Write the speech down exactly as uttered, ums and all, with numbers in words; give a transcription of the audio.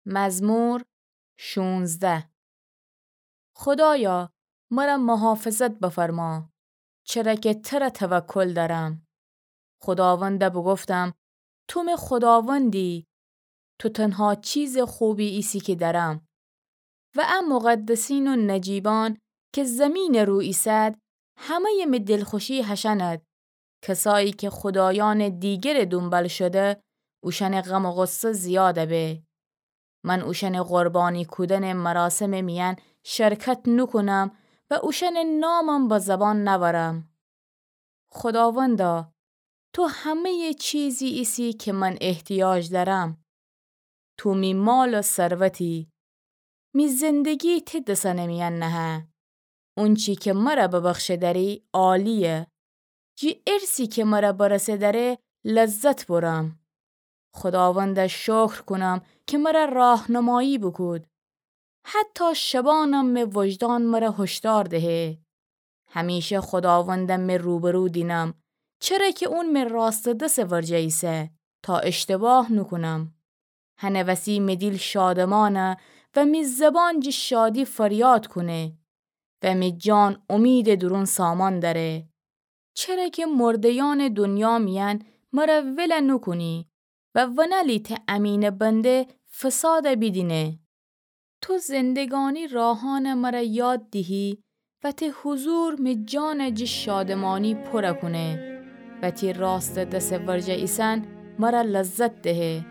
مزمور شونزده. خدایا، مرا محافظت بفرما، چرا که ترا توکل دارم. خداوندا بگفتم: تو می خداوندی، تو تنها چیز خوبی ایسی که دارم. و ا مقدسین و نجیبان که زمین رو ایسد، همهٔ می دلخوشی هشأن‌د. کسایی که خدایان دیگر دونبال شده، اوشأن غم و غصه زیاد به. من اوشأن قربانی کودن مراسم میأن شرکت نوکونم و اوشأن نامم به زبان نأورم. خداوندا، تو همهٔ چیزی ایسی که من احتیاج دأرم. تو می مال و ثروتی. می زندگی تی دسأن میأن نهه. اونچی که مرا ببخشه دأری عالیه. جی ارثی که مرا برسه دأره لذت برم. خداوندا شکر کونم که مرا راهنمایی بوکود. حتی شبانم می وجدان مرا هشدار دهه. همیشه خداوندم می روبرو دینم، چره که اون می راست دس ورجه ایسه تا اشتباه نوکونم. هنه وسی می دیل شادمانه و می زبان جی شادی فریاد کونه و می جان امید دورون سامان دأره. چره که مرده‌یان دنیا میأن مرا ول نوکونی و ونلی تی امین بنده فساد بیدینه. تو زندگانی راهان مرا یاد دیهی و تی حضور می جان جی شادمانی پورا کونه و تی راست دس ورجه ایسن مرا لذت دهه.